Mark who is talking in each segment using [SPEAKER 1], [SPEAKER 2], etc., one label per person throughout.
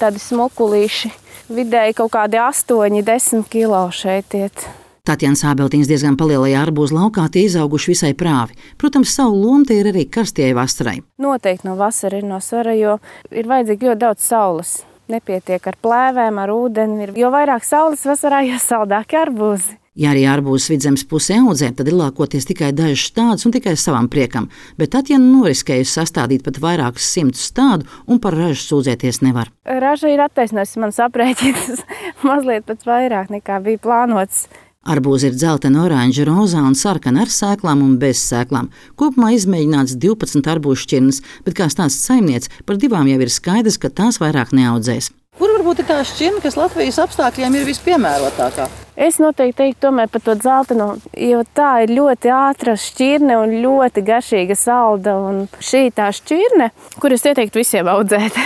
[SPEAKER 1] tādi smukulīši. Vidēji kaut kādi 8-10 kilo šeit iet.
[SPEAKER 2] Tatjana Sābeltiņas diezgan palielajā arbūzu laukā tie izauguši visai prāvi. Protams, savu lomu tie ir arī karstajai vasarai.
[SPEAKER 1] Noteikti no vasara ir no svara, jo ir vajadzīgi ļoti daudz saules. Nepietiek ar plēvēm, ar ūdeni. Jo vairāk saules vasarā, jo saldāki arbūzi.
[SPEAKER 2] Ja arī arbūzus Vidzemes pusē audzē, tad ir lākoties tikai dažus stādus un tikai savam priekam, bet Tatjana noriskējusi sastādīt pat vairākus 100 stādu un par ražu sūdzēties nevar.
[SPEAKER 1] Raža ir attaisnojusi man aprēķinus mazliet pat vairāk nekā bija plānots.
[SPEAKER 2] Arbūzi ir dzeltena, oranža, rozā un sarkana ar sēklām un bez sēklām. Kopumā izmēģināts 12 arbūzu šķirnes, bet kā stāsta saimniece, par 2 jau ir skaidrs, ka tās vairāk neaudzēs.
[SPEAKER 3] Kur varbūt ir tā šķirne, kas Latvijas apstākļiem ir vispiemērotākā?
[SPEAKER 1] Es noteikti teiktu tomēr par to dzeltenu, jo tā ir ļoti ātra šķirne un ļoti garšīga salda. Un šī tā šķirne, kuras ieteiktu visiem audzēt,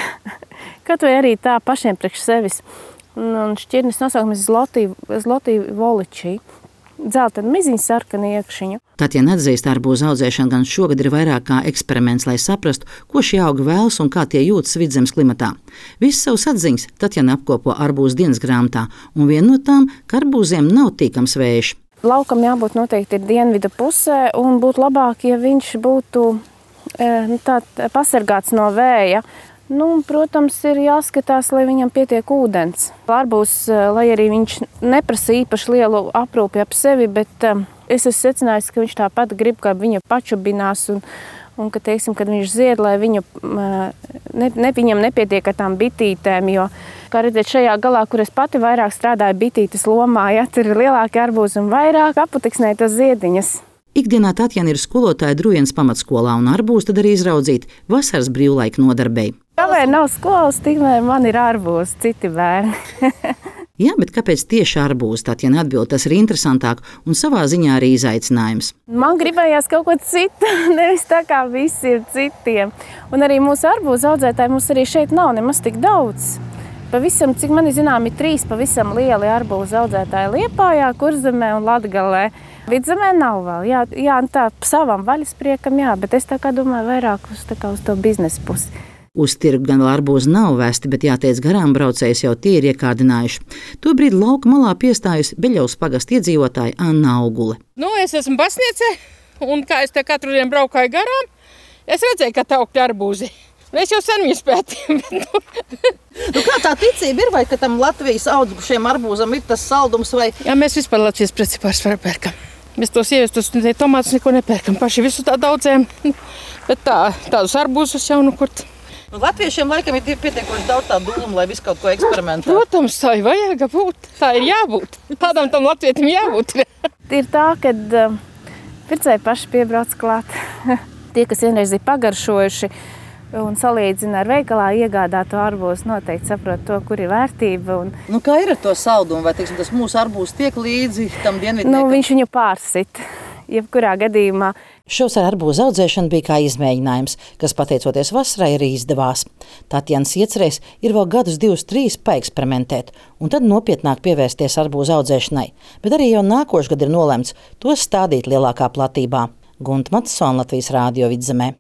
[SPEAKER 1] kaut vai arī tā pašiem priekš sevis. Un šķirnes nosaukums Zlotī Voličī. Dzeltena miziņa sarkana iekšiņu.
[SPEAKER 2] Tatjana atzīst, arbūzu audzēšana gan šogad ir vairāk kā eksperiments, lai saprastu, ko šie augi vēlas un kā tie jūtas Vidzemes klimatā. Visas savas atziņas Tatjana apkopo arbūzu dienas grāmatā, un viena no tām, ka arbūziem nav tīkams vējš.
[SPEAKER 1] Laukam jābūt noteikti ir dienvidu pusē, un būtu labāk, ja viņš būtu pasargāts no vēja. Protams, ir jāskatās, lai viņam pietiek ūdens. Arbūzs, lai arī viņš neprasa īpaši lielu aprūpi ap sevi, bet es esmu secinājis, ka viņš tāpat grib, ka viņa pačubinās un ka, teiksim, kad viņš zied, lai viņam nepietiek ar tām bitītēm, jo, kā redzēt, šajā galā, kur es pati vairāk strādāju bitītes lomā, tur ir lielāki arbūzi un vairāk aputeksnē tos ziediņas.
[SPEAKER 2] Ikdienā Tatjana ir skolotāja Drujienas pamatskolā un arbūzu tad arī izraudzīt vasaras brīvlaika nodarbei.
[SPEAKER 1] Kamēr nav skolas, tikmēr man ir arbūzi, citi bērni.
[SPEAKER 2] Jā, bet kāpēc tieši arbūzi? Tatjana atbild, tas ir interesantāk un savā ziņā arī izaicinājums.
[SPEAKER 1] Man gribējās kaut ko citu, nevis tā kā visi ir citiem. Un arī mūsu arbūzu audzētāji mums arī šeit nav nemaz tik daudz. Pavisam, cik man ir zinām, ir 3 pavisam lieli arbūzu audzētāji Liepājā, Kurzemē un Latgalē. Vidzemē nav vēl, jā, tā savam vaļaspriekam, jā, bet es tā kā domāju vairāk uz to biznesa pusi.
[SPEAKER 2] Uz tirgu gan arbūzi nav vesti, bet jāteic garām braucējs jau tie ir iekārdinājuši. Tobrīd lauka malā piestājusi Beļavas pagasta iedzīvotāja Anna Augule.
[SPEAKER 4] Es esmu pasniece, un kā es te katru dienu braukāju garām, es redzēju, ka tā augļa arbūzi. Es jau sen viņu spētīju.
[SPEAKER 3] Kā tā ticība ir, vai ka tam Latvijas augušiem arbūzam ir tas saldums? Vai?
[SPEAKER 4] Jā, mēs vispār Latvijas preci pārsvarā pērkam. Mēs tos ievestus tomātus neko nepērkam. Paši visu tā daudzēm, bet tādus arbūzus jau kurt.
[SPEAKER 3] Latviešiem laikam ir pietiekoši daudz tā dūmu, lai visu kaut ko eksperimentētu.
[SPEAKER 4] Protams, tā ir vajag būt. Tā ir jābūt. Tādam tam latvietim jābūt.
[SPEAKER 1] Ir tā, kad pircēji paši piebrauc klāt. Tie, kas vienreiz ir pagaršojuši un salīdzina ar veikalā iegādāto arbūzu, noteikti saprot to, kur ir vērtība.
[SPEAKER 3] Kā ir ar to saldumu? Vai tas mūsu arbūzs tiek līdzi tam dienvidniekam?
[SPEAKER 1] Viņš viņu pārsit, jebkurā gadījumā.
[SPEAKER 2] Šovasar arbūzu audzēšana bija kā izmēģinājums, kas pateicoties vasarai arī izdevās. Tatjanas iecerēs ir vēl gadus 2-3 paeksperimentēt, un tad nopietnāk pievērsties arbūzu audzēšanai. Bet arī jau nākošgad ir nolemts tos stādīt lielākā platībā. Gunta Matsona, Latvijas Rādio Vidzemē.